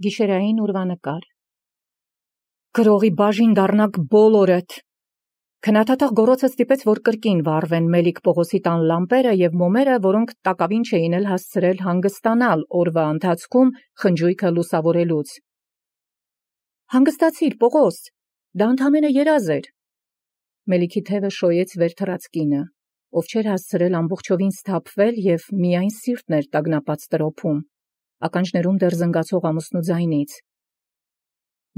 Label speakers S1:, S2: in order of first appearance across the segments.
S1: Գիշերային ուրվանկար։ Գրողի բաժին դառնաք բոլորդ։ Քնաթաթախ գոռոցը ստիպեց, որ կրկին վառվեն Մելիք Պողոսի տան լամպերը և մոմերը, որոնք տակավին չէին էլ հասցրել հանգստանալ օրվա ընթացքում խնջույքը լուսավորելուց։ Հանգստացիր, Պողոս, դա ընդամենը երազ էր։ Մելիքի թևը շոյեց վեր թռած կինը, ով չէր հասցրել ամբողջովին սթափվել և միայն սիրտն էր տագնապած տրոփում, ականջներում դեռ զնգացող ամուսնու ձայնից։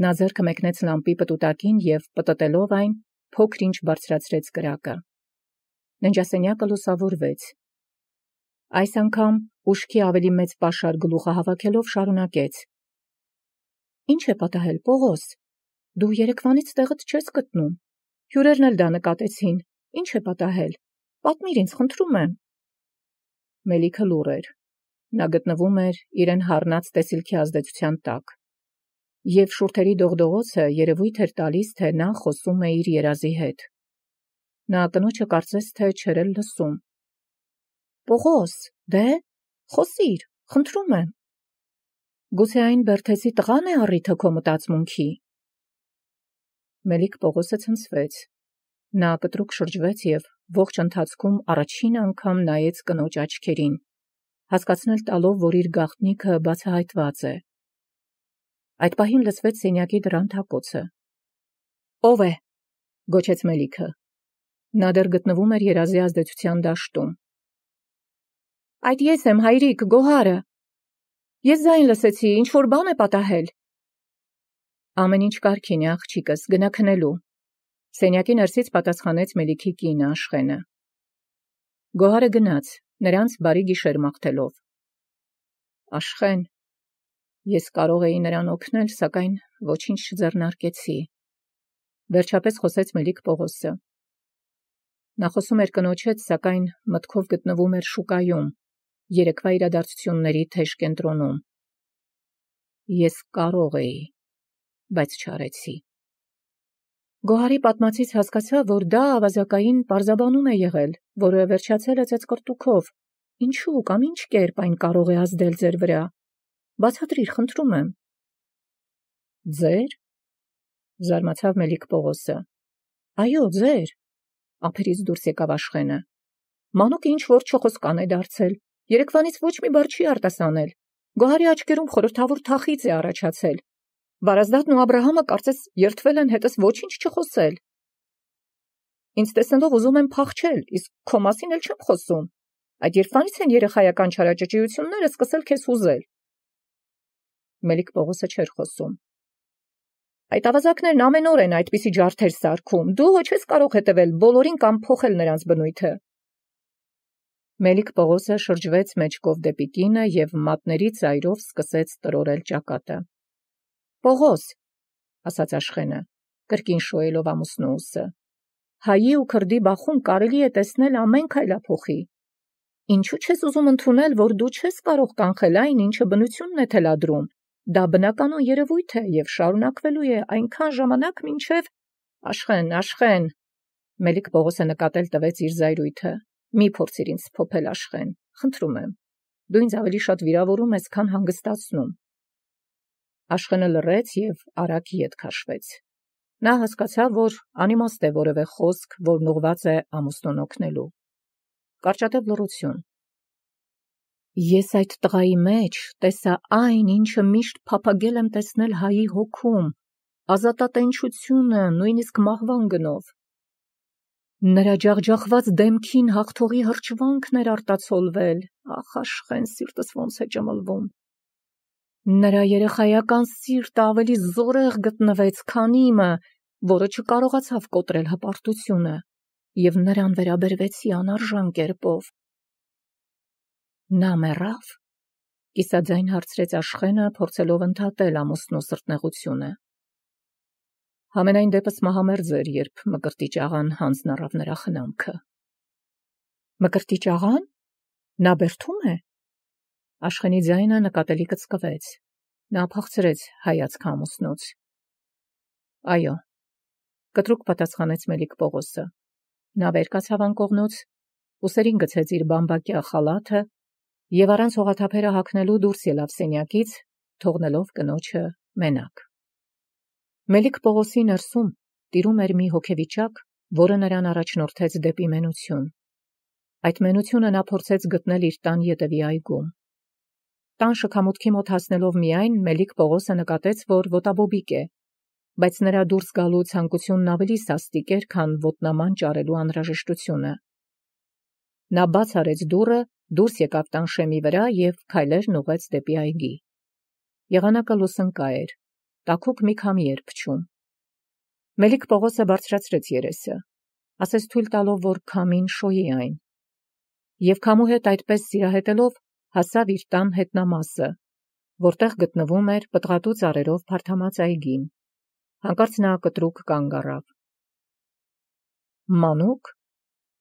S1: Նա ձեռքը մեկնեց լամպի պտուտակին և պտտելով այն, փոքր-ինչ բարձրացրեց կրակը։ Ննջասենյակը լուսավորվեց։ Այս անգամ ուշքի ավելի մեծ պաշար գլուխը հավաքելով շարունակեց. Ինչ է պատահել, Պողոս, դու երեկվանից տեղդ չես գտնում, հյուրերն էլ դա նկատեցին, ինչ է պատահել, պատմիր ինձ, խնդրում եմ։ Մելիքը լուռ էր, նա գտնվում էր իրեն հառնած տեսիլքի ազդեցության տակ, և շուրթերի դողդողոցը երևույթ էր տալիս, թե նա խոսում է իր երազի հետ։ Նա կնոջը կարծես թե չէր էլ լսում։ Պողոս, դե, խոսիր, խնդրում եմ։ Գուցե այն Բերթեսի տղան է առիթը քո մտածմունքի։ Մելիք Պողոսը ցնցվեց։ Նա կտրուկ շրջվեց և ողջ ընթացքում առաջին անգամ նայեց կնոջ աչքերին, հասկացնել տալով, որ իր գաղտնիքը բացահայտված է։ Այդ պահին լսվեց սենյակի դռան թակոցը։ Ո՞վ է, գոչեց Մելիքը։ Նա դեռ գտնվում էր երազի ազդեցության դաշտում։ Այդ ես եմ, հայրիկ, Գոհարը։ Ես ձայն լսեցի, ինչ-որ բան է պատահել։ Ամեն ինչ կարգին է, աղջիկս, գնա քնելու։ Սենյակի ներսից պատասխանեց Մելիքի կինը Աշխենը։ Գոհարը գնաց, նրանց բարի գիշեր մաղթելով։ Աշխեն, ես կարող էի նրան օգնել, սակայն ոչինչ չձեռնարկեցի, վերջապես խոսեց Մելիք Պողոսը։ Նա խոսում էր կնոջ հետ, սակայն մտքով գտնվում էր շուկայում, երեկվա իրադարձությունների թեժ կենտրոնում։ Ես կարող էի, բայց չարեցի։ Գոհարի պատմածից հասկացա, որ դա ավազակային պարզաբանում է եղել, որը վերջացել է ծեծկռտուքով։ Ինչու կամ ինչ կերպ այն կարող է ազդել ձեր վրա։ Բացատրիր, խնդրում եմ։ Ձեր։ Զարմացավ Մելիք Պողոսը։ Այո, ձեր, ափերից դուրս եկավ Աշխենը։ Մանուկը ինչ-որ չխոսկան է դարձել, երեկվանից ոչ մի բառ չի արտասանել։ Գոհարի աչքերում խորհրդավոր թախիծ է առաջացել։ Վարազդատն ու Աբրահամը կարծես երդվել են հետս ոչինչ չխոսել։ Ինձ տեսնելով ուզում եմ փախչել, իսկ քո մասին էլ չեմ խոսում։ Այդ երբանից են երեխայական չարաճճիությունները սկսել քեզ հուզել։ Մելիք Պողոսը չէր խոսում։ Այդ ավազակներն ամեն օր են այդպիսի ջարդեր սարքում, դու ոչ ես կարող հետևել բոլորին կամ փոխել նրանց բնույթը։ Մելիք Պողոսը շրջվեց մեջքով դեպի կինը և մատների ծայրով սկսեց տրորել ճակատը։ Պողոս, ասաց Աշխենը, կրկին շոյելով ամուսնու ուսը, հայի ու քրդի բախում կարելի է տեսնել ամեն քայլափոխի։ Ինչու չես ուզում ընդունել, որ դու չես կարող կանխել այն, ինչը բնությունն է թելադրում։ Դա բնականon երևույթ է և շարունակվելու է այնքան ժամանակ, մինչև… Աշխեն, Մելիք Պողոսը նկատել տվեց իր զայրույթը։ Մի փորձիր ինձ փոփել, Աշխեն, խնդրում եմ։ Դու ինձ ավելի շատ վիրավորում ես, քան հանգստացնում։ Աշխենը լռեց և արագ ետ քաշվեց։ Նա հասկացավ, որ անիմաստ է որևէ խոսք, որն ուղղված է ամուսնուն օգնելու։ Կարճատև լռություն։ Ես այդ տղայի մեջ տեսա այն, ինչը միշտ փափագել եմ տեսնել հայի հոգում, ազատատենչությունը, նույնիսկ մահվան գնով։ Նրա ջախջախված դեմքին հաղթողի հրճվանքն էր արտացոլվել, ախ, Աշխեն, սիրտս ոնց է ճմլվում։ Նրա երեխայական սիրտը ավելի զորեղ գտնվեց, քան իմը, որը չկարողացավ կոտրել հպարտությունը, և նրան վերաբերվեցի անարժան կերպով։ Նա մեռավ, կիսաձայն հարցրեց Աշխենը, փորձելով ընդհատել ամուսնու սրտնեղությունը։ Համենայն դեպս մահամերձ էր, երբ Մկրտիչ աղան հանձն առավ նրա խնամքը։ Մկրտիչ աղան։ Նա Բերդում է։ Աշխենի ձայնը նկատելի կծկվեց։ Նա փախցրեց հայացքը ամուսնուց։ Այո, կտրուկ պատասխանեց Մելիք Պողոսը։ Նա վեր կացավ անկողնուց, ուսերին գցեց իր բամբակյա խալաթը և առանց հողաթափերը հագնելու դուրս ելավ սենյակից, թողնելով կնոջը մենակ։ Մելիք Պողոսի ներսում տիրում էր մի հոգեվիճակ, որը նրան առաջնորդեց դեպի մենություն։ Այդ մենությունը նա փորձեց գտնել իր տան ետևի այգում։ Տան շքամուտքի մոտ հասնելով միայն Մելիք Պողոսը նկատեց, որ ոտաբոբիկ է, բայց նրա դուրս գալու ցանկությունն ավելի սաստիկ էր, քան ոտնաման ճարելու անհրաժեշտությունը։ Նա բաց արեց դուռը, դուրս եկավ տան շեմի վրա և քայլերն ուղղեց դեպի այգի։ Եղանակը լուսնկա էր, տաքուկ մի քամի էր փչում։ Մելիք Պողոսը բարձրացրեց երեսը, ասես թույլ տալով, որ քամին շոյի այն, և քամու հետ այդպես սիրահետելով հասավ իր տան հետնամասը, որտեղ գտնվում էր պտղատու ծառերով փարթամած այգին։ Հանկարծ նա կտրուկ կանգ առավ։ Մանուկ,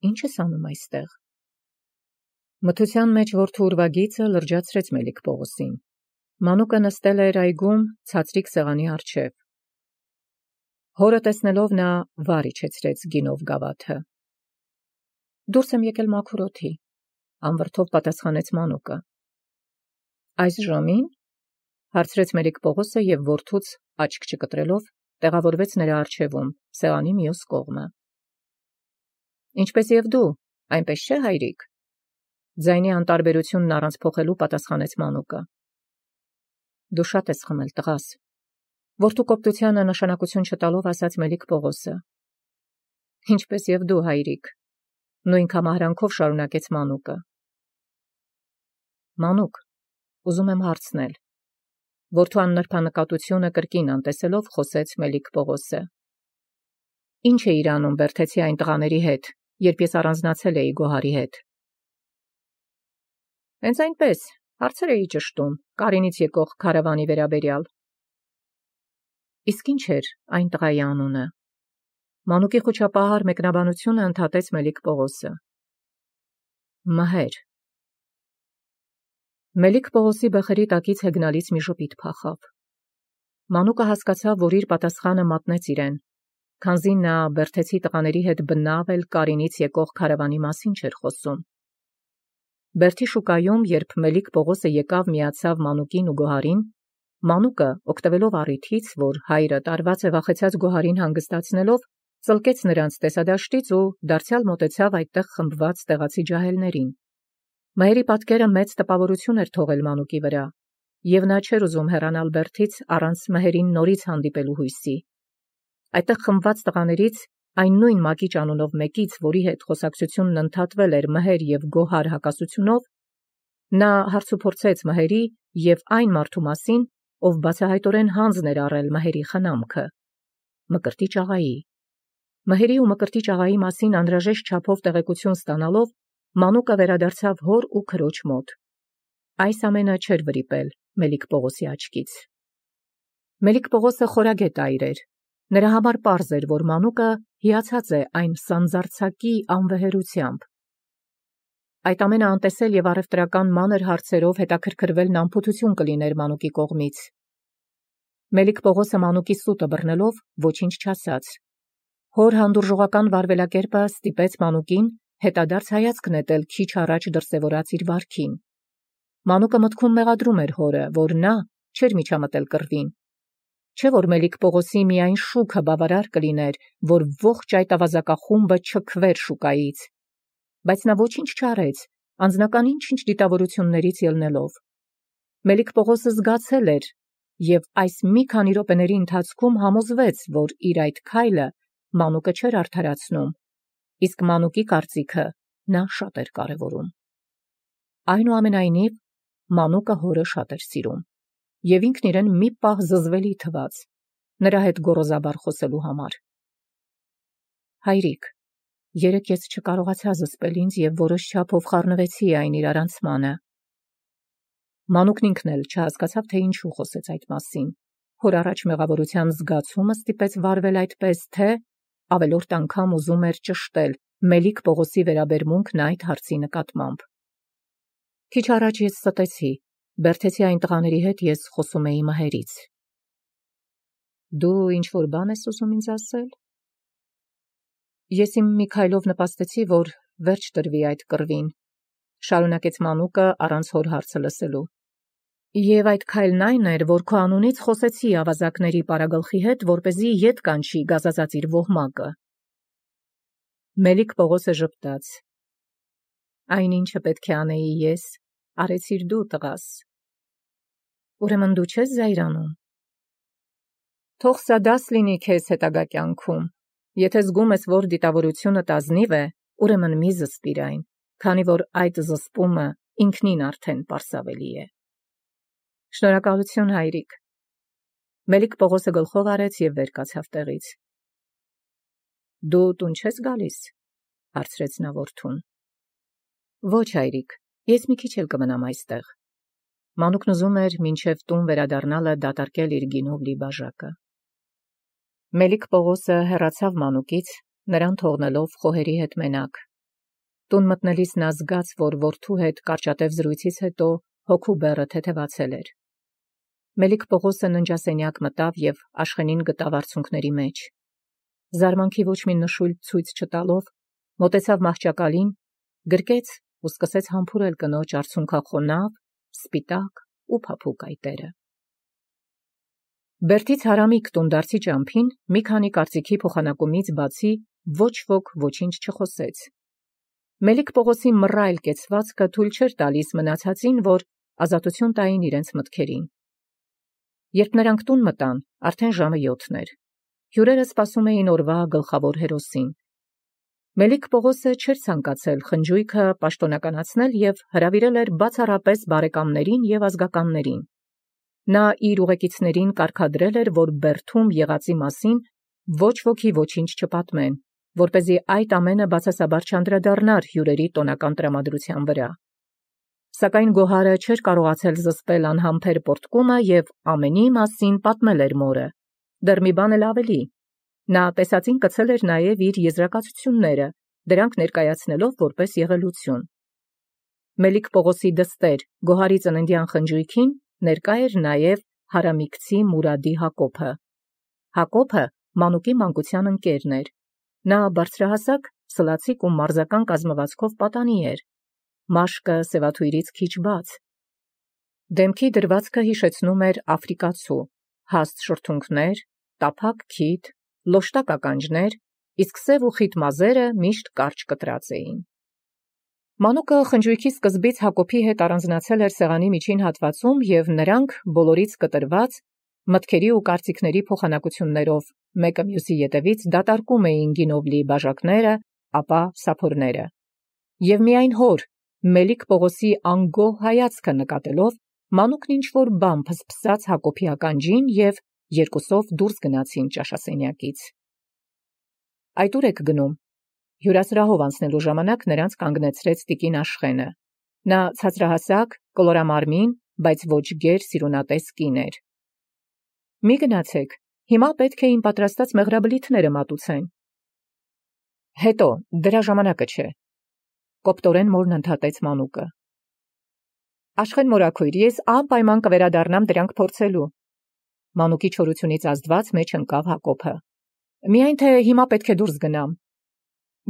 S1: ի՞նչ ես անում այստեղ։ Մթության մեջ որդու ուրվագիծը լրջացրեց Մելիք Պողոսին։ Մանուկը նստել էր այգում ցածրիկ սեղանի առջև։ Հորը տեսնելով նա վար իջեցրեց գինով գավաթը։ Դուրս եմ եկել մաքուր օդի, անվրդով պատասխանեց Մանուկը։ Այս ժամին, հարցրեց Մելիք Պողոսը և որդուց աչք չկտրելով տեղավորվեց նրա առջևում, սեղանի մյուս կողմը։ Ինչպես և դու, այնպես չէ, հայրիկ։ Ձայնի անտարբերությունն առանց փոխելու պատասխանեց Մանուկը։ Դու շատ ես խմել, տղաս, որդու կոպտությանը նշանակություն չտալով ասաց Մելիք Պողոսը։ Ինչպես և դու, հայրիկ, նույն կամահարանքով շարունակեց Մանուկը։ Մանուկ, ուզում եմ հարցնել։ Որդու աննրբանկատությունը կրկին անտեսելով խոսեց Մելիք Պողոսը։ Ինչ էիր անում Բերդեցի այն տղաների հետ, երբ ես առանձնացել էի Գոհարի հետ։ Հենց այնպես, հարցեր էի ճշտում Կարինից եկող քարավանի վերաբերյալ։ Իսկ ինչ էր այն տղայի անունը։ Մանուկի խուճապահար մեկնաբանությունը ընդհատեց Մելիք Պողոսը։ Մհեր։ Մելիք Պողոսի բխերի տակից հեգնալից մի ժպիտ փախավ։ Մանուկը հասկացավ, որ իր պատասխանը մատնեց իրեն, քանզի նա Բերդեցի տղաների հետ բնավ էլ Կարինից եկող քարավանի մասին չէր խոսում։ Բերդի շուկայում, երբ Մելիք Պողոսը եկավ միացավ Մանուկին ու Գոհարին, Մանուկը, օգտվելով առիթից, որ հայրը տարված է վախեցած Գոհարին հանգստացնելով, ծլկեց նրանց տեսադաշտից ու դարձյալ մոտեցավ այդտեղ խմբված տեղացի ջահելներին։ Մհերի պատկերը մեծ տպավորություն էր թողել Մանուկի վրա, և նա չէր ուզում հեռանալ Բերդից առանց Մհերին նորից հանդիպելու հույսի։ Այդտեղ խմբված տղաներից այն նույն Մակիչ անունով մեկից, որի հետ խոսակցությունն ընդհատվել էր Մհեր և Գոհար հակասությունով, նա հարցուփորձեց Մհերի և այն մարդու մասին, ով բացահայտորեն հանձն էր առել Մհերի խնամքը, Մկրտիչ աղայի։ Մհերի ու Մկրտիչ աղայի մասին անհրաժեշտ չափով տեղեկություն ստանալով, Մանուկը վերադարձավ հոր ու քրոջ մոտ։ Այս ամենը չէր վրիպել Մելիք Պողոսի աչքից։ Մելիք Պողոսը խորագետ այր էր։ Նրա համար պարզ էր, որ Մանուկը հիացած է այն սանձարձակի անվեհերությամբ։ Այդ ամենը անտեսել և առևտրական մանր հարցերով հետաքրքրվելն անփութություն կլիներ Մանուկի կողմից։ Մելիք Պողոսը Մանուկի սուտը բռնելով ոչինչ չասաց։ Հոր հանդուրժողական վարվելակերպը ստիպեց Մանուկին հետադարձ հայացք նետել քիչ առաջ դրսևորած իր վարքին։ Մանուկը մտքում մեղադրում էր հորը, որ նա չէր միջամտել կռվին։ Չէ՞ որ Մելիք Պողոսի միայն շուքը բավարար կլիներ, որ ողջ այդ ավազակախումբը չքվեր շուկայից։ Բայց նա ոչինչ չարեց, անձնական ինչ-ինչ դիտավորություններից ելնելով։ Մելիք Պողոսը զգացել էր և այս մի քանի րոպեների ընթացքում համոզվեց, որ իր այդ քայլը Մանուկը չէր արդարացնում, իսկ Մանուկի կարծիքը նա շատ էր կարևորում։ Այնուամենայնիվ, Մանուկը հորը շատ էր սիրում, և ինքն իրեն մի պահ զզվելի թվաց նրա հետ գոռոզաբար խոսելու համար։ Հայրիկ, երեկ ես չկարողացա զսպել ինձ և որոշ չափով խառնվեցի այն իրարանցմանը։ Մանուկն ինքն էլ չհասկացավ, թե ինչու խոսեց այդ մասին։ Հոր առաջ մեղավորության զգացումը ստիպեց վարվել այդպես, թե ավելորդ անգամ ուզում էր ճշտել Մելիք Պողոսի վերաբերմունքն այդ հարցի նկատմամբ։ Քիչ առաջ ես ստեցի, Բերդեցի այն տղաների հետ ես խոսում էի Մհերից։ Դու ինչ-որ բան ես ուզում ինձ ասել։ Ես իմ մի քայլով նպաստեցի, որ վերջ տրվի այդ կռվին, շարունակեց Մանուկը առանց հոր հարցը լսելու։ Եվ այդ քայլն այն էր, որ քո անունից խոսեցի ավազակների պարագլխի հետ, որպեսզի ետ կանչի գազազած իր ոհմակը։ Մելիք Պողոսը ժպտաց. Այն ինչը պետք է անեի ես, արեցիր դու, տղաս։ Ուրեմն դու չես զայրանում։ Թող սա դաս լինի քեզ հետագա կյանքում։ Եթե զգում ես, որ դիտավորությունդ ազնիվ է, ուրեմն մի զսպիր այն, քանի որ այդ զսպումը ինքնին արդեն պարսավելի է։ Շնորհակալություն, հայրիկ։ Մելիք Պողոսը գլխով արեց և վեր կացավ տեղից։ Դու տուն չես գալիս, հարցրեց նա որդուն։ Ոչ, հայրիկ, ես մի քիչ էլ կմնամ այստեղ։ Մանուկն ուզում էր մինչև տուն վերադառնալը դատարկել իր գինով լի բաժակը։ Մելիք Պողոսը հեռացավ մանուկից, նրան թողնելով խոհերի հետ մենակ։ Տուն մտնելիս նա զգաց, որ որդու հետ կարճատև զրույցից հետո հոգու բեռը թեթևացել էր։ Մելիք Պողոսը ննջասենյակ մտավ և Աշխենին գտավ արցունքների մեջ։ Զարմանքի ոչ մի նշույլ ցույց չտալով, մոտեցավ մահճակալին, գրկեց ու սկսեց համբուրել կնոջ արցունքախոնավ, սպիտակ ու փափուկ այտերը։ Բերդից հարամիկ տունդարձի ճամփին մի քանի կարծիքի փոխանակումից բացի ոչ ոք ոչինչ չխոսեց։ Մելիք Պողոսի մռայլ կեցվածքը թույլ չէր տալիս մնացածին, որ ազատություն տային իրենց մտքերին։ Երբ նրանք տուն մտան, արդեն ժամը 7 էր։ Հյուրերը սպասում էին օրվա գլխավոր հերոսին։ Մելիք Պողոսը չէր ցանկացել խնջույքը պաշտոնականացնել և հրավիրել էր բացառապես բարեկամներին և ազգականներին։ Նա իր ուղեկիցներին կարգադրել էր, որ Բերդում եղածի մասին ոչ ոքի ոչինչ չպատմեն, որպեսզի այդ ամենը բացասաբար չանդրադառնար հյուրերի տոնական տրամադրության վրա։ Սակայն Գոհարը չէր կարողացել զսպել անհամբեր պոռթկումը և ամենի մասին պատմել էր մորը։ Դեռ մի բան էլ ավելի։ Նա տեսածին կցել էր նաև իր եզրակացությունները, դրանք ներկայացնելով որպես եղելություն։ Մելիք Պողոսի դստեր Գոհարի ծննդյան խնջույքին ներկա էր նաև հարամիկցի Մուրադի Հակոբը։ Հակոբը մանուկի մանկության ընկերն էր։ Նա բարձրահասակ, սլացիկ ու մարզական կազմվածքով պատանի էր։ Մաշկը սևաթույրից քիչ բաց։ Դեմքի դրվածքը հիշեցնում էր աֆրիկացու, հաստ շրթունքներ, տափակ քիթ, լոշտակ ականջներ, իսկ սև ու խիտ մազերը միշտ կարճ կտրած էին։ Մանուկը խնջույքի սկզբից Հակոբի հետ առանձնացել էր սեղանի միջին հատվածում և նրանք բոլորից կտրված մտքերի ու կարծիքների փոխանակություններով մեկը մյուսի ետևից դատարկում էին գինով լի բաժակները, ապա սափորները։ Եվ միայն հոր Մելիք Պողոսի անգոհ հայացքը նկատելով, մանուկն ինչ-որ բան փսփսաց Հակոբի ականջին և երկուսով դուրս գնացին ճաշասենյակից։ Այդ ուր եք գնում։ Հյուրասրահով անցնելու ժամանակ նրանց կանգնեցրեց տիկին Աշխենը։ Նա ցածրահասակ, կլորամարմին, բայց ոչ գեր սիրունատես կին էր։ Մի գնացեք, հիմա պետք է իմ պատրաստած մեղրաբլիթները մատուցեն։ Հետո, դրա ժամանակը չէ։ Կոպտորեն մորն ընդհատեց մանուկը։ Աշխեն մորաքույր, ես անպայման կվերադառնամ դրանք փորձելու։ Մանուկի չորությունից ազդված մեջ ընկավ Հակոբը։ Միայն թե հիմա պետք է դուրս գնամ։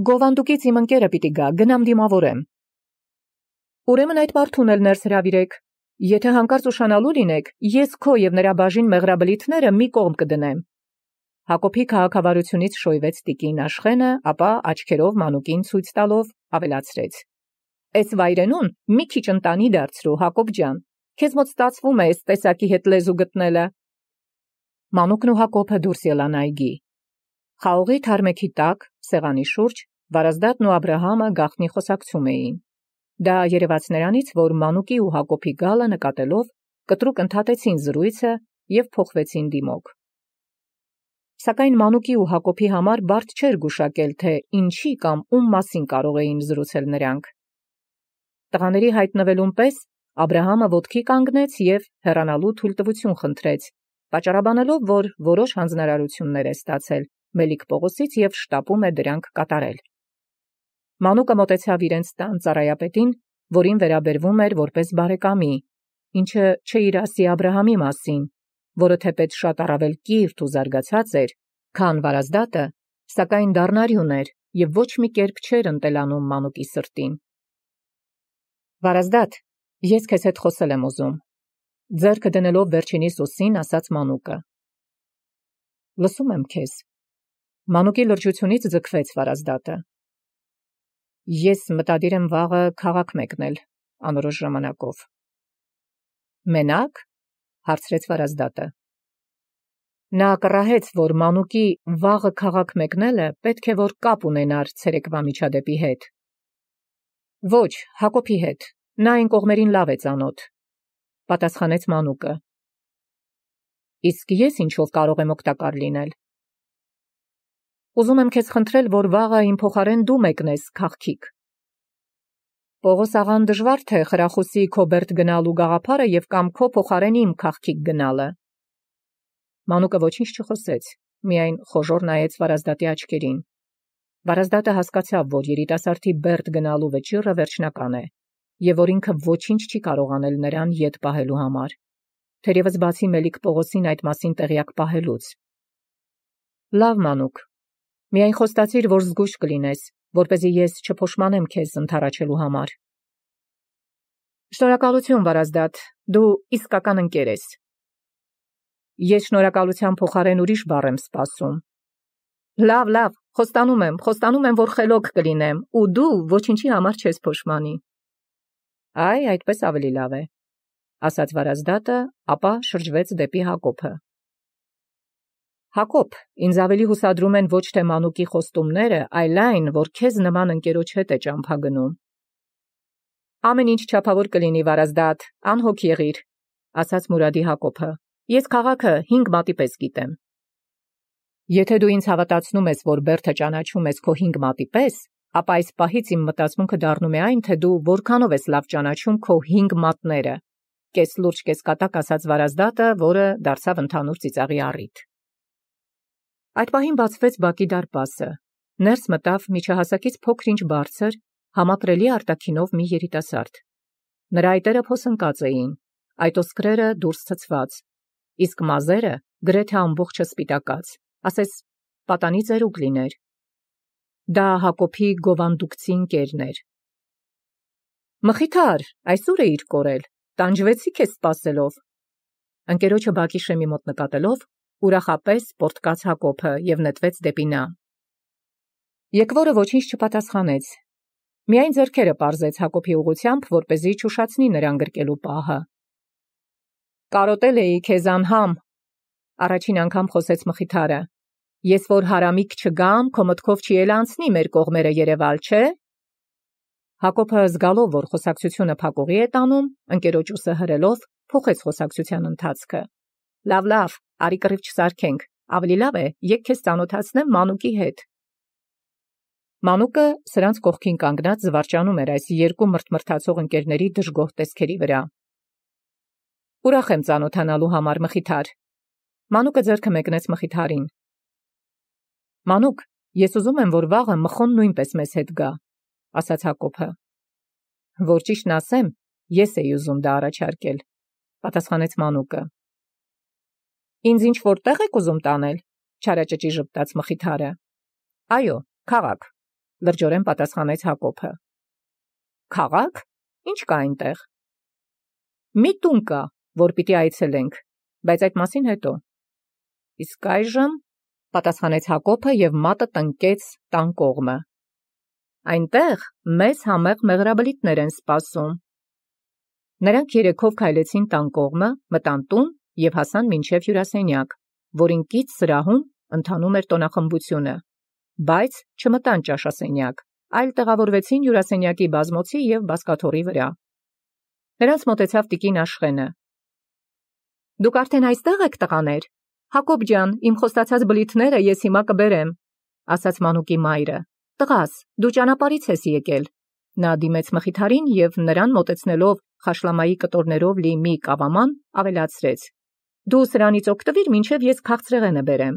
S1: Գովանդուկից իմ ընկերը պիտի գա, գնամ դիմավորեմ։ Ուրեմն այդ մարդուն էլ ներս հրավիրեք։ Եթե հանկարծ ուշանալու լինեք, ես քո և նրա բաժին մեղրաբլիթները մի կողմ կդնեմ։ Հակոբի քաղաքավարությունից շոյվեց տիկին Աշխենը, ապա աչքերով մանուկին ցույց տալով ավելացրեց. Էս վայրենուն մի քիչ ընտանի դարձրու, Հակոբ ջան, քեզ մոտ ստացվում է էս տեսակի հետ լեզու գտնելը։ Մանուկն ու Հակոբը դուրս ելան այգի։ Խաղողի թարմեքի տակ, սեղանի շուրջ, Վարազդատն ու Աբրահամը գաղտնի խոսակցում էին։ Դա երևաց նրանից, որ մանուկի ու Հակոբի գալը նկատելով, կտրուկ ընդհատեցին զրույցը և փոխվեցին դիմոք։ Սակայն մանուկի ու Հակոբի համար բարդ չէր գուշակել, թե ինչի կամ ում մասին կարող էին զրուցել նրանք։ Տղաների հայտնվելուն պես Աբրահամը ոտքի կանգնեց և հեռանալու թույլտվություն խնդրեց, պատճառաբանելով, որ որոշ հանձնարարություններ է ստացել Մելիք Պողոսից և շտապում է դրանք կատարել։ Մանուկը մոտեցավ իրենց տան ծառայապետին, որին վերաբերվում էր որպես բարեկամի, ինչը չէր ասի Աբրահամի մասին, որը թեպետ շատ առավել կիրթ ու զարգացած էր, քան Վարազդատը, սակայն դառնարյուն էր և ոչ մի կերպ չէր ընտելանում մանուկի սրտին։ Վարազդատ, ես քեզ հետ խոսել եմ ուզում։ Ձեռքը դնելով վերջինիս ուսին, ասաց Մանուկը. Լսում եմ քեզ։ Մանուկի լրջությունից ձգվեց Վարազդատը։ Ես մտադիր եմ վաղը քաղաք մեկնել, անորոշ ժամանակով։ Մենակ, հարցրեց Վարազդատը։ Նա կռահեց, որ Մանուկի վաղը քաղաք մեկնելը պետք է որ կապ ունենար ցերեկվա միջադեպի հետ։ Ոչ, Հակոբի հետ, նա այն կողմերին լավ է ծանոթ, պատասխանեց Մանուկը։ Իսկ ես ինչով կարող եմ օգտակար լինել։ Ուզում եմ քեզ խնդրել, որ վաղը իմ փոխարեն դու մեկնես քաղաքիկ։ Պողոս աղան դժվար թե խրախուսի քո բերդ գնալու գաղափարը եւ կամ քո փոխարեն իմ քաղաքիկ գնալը։ Մանուկը ոչինչ չխոսեց, միայն խոժոր նայեց Վարազդատի աչքերին։ Վարազդատը հասկացավ, որ երիտասարդի բերդ գնալու վճիռը վերջնական է, եւ որ ինքը ոչինչ չի կարող անել նրան ետ պահելու համար, թերևս բացի Մելիք Պողոսին այդ մասին տեղյակ պահելուց։ Լավ, Մանուկ, միայն խոստացիր, որ զգույշ կլինես, որպեսզի ես չփոշմանեմ քեզ ընդառաջելու համար։ Շնորհակալություն, Վարազդատ, դու իսկական ընկեր ես։ Ես շնորհակալության փոխարեն ուրիշ բառ եմ սպասում։ Լավ, խոստանում եմ, որ խելոք կլինեմ, ու դու ոչինչի համար չես փոշմանի։ Այ, այդպես ավելի լավ է, ասաց Վարազդատը, ապա շրջվեց դեպի Հակոբը։ Հակոբ, ինձ ավելի հուսադրում են ոչ թե Մանուկի խոստումները, այլ այն, որ քեզ նման ընկերոջ հետ է ճամփա գնում։ Ամեն ինչ չափավոր կլինի, Վարազդատ, անհոգ եղիր, ասաց Մուրադի Հակոբը։ Ես քաղաքը 5 մատի պես գիտեմ։ Եթե դու ինձ հավատացնում ես, որ Բերդը ճանաչում ես քո 5 մատի պես, ապա այս պահից իմ մտածմունքը դառնում է այն, թե դու որքանով ես լավ ճանաչում քո 5 մատները, կես լուրջ կես կատակ ասաց Վարազդատը, որը դարձավ ընդհանուր ծիծաղի առիթ։ Այդ պահին բացվեց բակի դարպասը։ Ներս մտավ միջահասակից փոքր-ինչ բարձր, համակրելի արտաքինով մի երիտասարդ։ Նրա այտերը փոսնկած էին, այտոսկրերը դուրս ցցված, իսկ մազերը գրեթե ամբողջը սպիտակած, ասես պատանի ծերուկ լիներ։ Դա Հակոբի գովանդուկցի ընկերն էր։ Մխիթար, այսօր էիր կորել, տանջվեցի քեզ սպասելով։ Ընկերոջը բակի շեմի մոտ նկատելով, ուրախապես պորտկաց Հակոբը եւ նետվեց դեպի նա։ Եկվորը ոչինչ չպատասխանեց, միայն ձեռքերը պարզեց Հակոբի ուղությամբ, որպեսզի չուշացնի նրան գրկելու պահը։ Կարոտել էի քեզ անհամ, առաջին անգամ խոսեց Մխիթարը։ Ես որ հարամիկ չգամ, քո մտքով չի էլ անցնի մեր կողմերը Երևալ, չէ։ Հակոբը զգալով, որ խոսակցությունը փակուղի է տանում, ընկերոջ ուսը հրելով, փոխեց խոսակցության ընթացքը։ Լավ, արի կռիվ չսարքենք, ավելի լավ է, եկ քեզ ծանոթացնեմ Մանուկի հետ։ Մանուկը սրանց կողքին կանգնած զվարճանում էր այս երկու մրթմրթացող ընկերների դժգոհ տեսքերի վրա։ Ուրախ եմ ծանոթանալու համար, Մխիթար։ Մանուկը ձեռքը մեկնեց Մխիթարին։ Մանուկ, ես ուզում եմ, որ վաղը Մխոն նույնպես մեզ հետ գա, ասաց Հակոբը։ Որ ճիշտն ասեմ, ես էի ուզում դա առաջարկել, պատասխանեց Մանուկը։ Ինձ ինչ որտեղ եք ուզում տանել, չարաճճի ժպտաց Մխիթարը։ Այո, քաղաք, լրջորեն պատասխանեց Հակոբը։ Քաղաք, ինչ կա այնտեղ։ Մի տուն կա, որ պիտի այցելենք, բայց այդ մասին հետո։ Իսկ այժմ, պատասխանեց Հակոբը եւ մատը տնկեց տան կողմը։ Այնտեղ մեզ համեղ մեղրաբլիթներ են սպասում։ Նրանք երեքով քայլեցին տան կողմը, մտան տուն եւ հասան մինչեւ հյուրասենյակ, որին կից սրահում ընթանում էր տոնախմբությունը, բայց չմտան ճաշասենյակ, այլ տեղավորվեցին հյուրասենյակի բազմոցի եւ բազկաթոռի վրա։ Նրանց մոտեցավ տիկին Աշխենը։ Դուք արդեն այստեղ եք, տղաներ։ Հակոբ ջան, իմ խոստացած բլիթները ես հիմա կբերեմ, ասաց Մանուկի մայրը։ Տղաս, դու ճանապարհից ես եկել։ Նա դիմեց Մխիթարին եւ նրան մոտեցնելով խաշլամայի կտորներով լի մի կավաման, ավելացրեց. Դու սրանից օգտվիր, մինչև ես քաղցրեղենը բերեմ։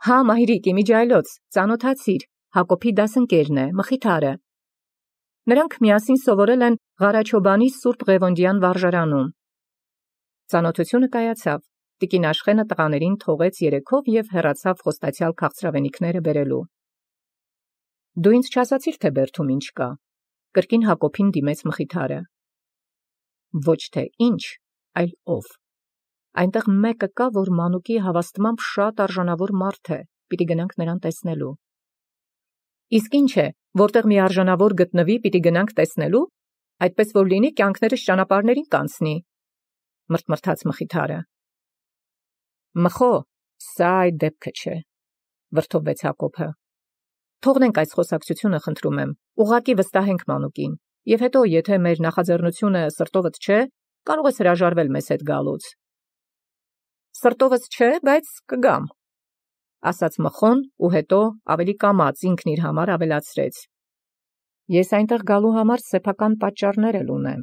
S1: Հա, մայրիկ, իմիջայլոց, ծանոթացիր, Հակոբի դասընկերն է, Մխիթարը։ Նրանք միասին սովորել են Ղարաչոբանի Սուրբ Ղևոնդյան վարժարանում։ Ծանոթությունը կայացավ։ Տիկին Աշխենը տղաներին թողեց երեքով եւ հեռացավ խոստացյալ քաղցրավենիքները բերելու։ Դու ինձ չասացիր, թե Բերդում ինչ կա, կրկին Հակոբին դիմեց Մխիթարը։ Ոչ թե ինչ, այլ ով։ Այնտեղ մեկը կա, որ մանուկի հավաստմամբ շատ արժանավոր մարդ է, պիտի գնանք նրան տեսնելու։ Իսկ ինչ է, որտեղ մի արժանավոր գտնվի, պիտի գնանք տեսնելու, այդպես որ լինի կյանքներս ճանապարհներին կանցնի, մրթմրթաց Մխիթարը։ Մխո, սա այդ դեպքը չէ, վրդովվեց Հակոբը։ Թողնենք այս խոսակցությունը, խնդրում եմ, ուղղակի վստահենք մանուկին, եւ հետո, եթե մեր նախաձեռնությունը սրտովդ չէ, կարող ես հրաժարվել մեզ հետ գալուց։ Սրտովս չէ, բայց կգամ, ասաց Մխոն ու հետո ավելի կամաց ինքն իր համար ավելացրեց. Ես այնտեղ գալու համար սեփական պատճառներ էլ ունեմ։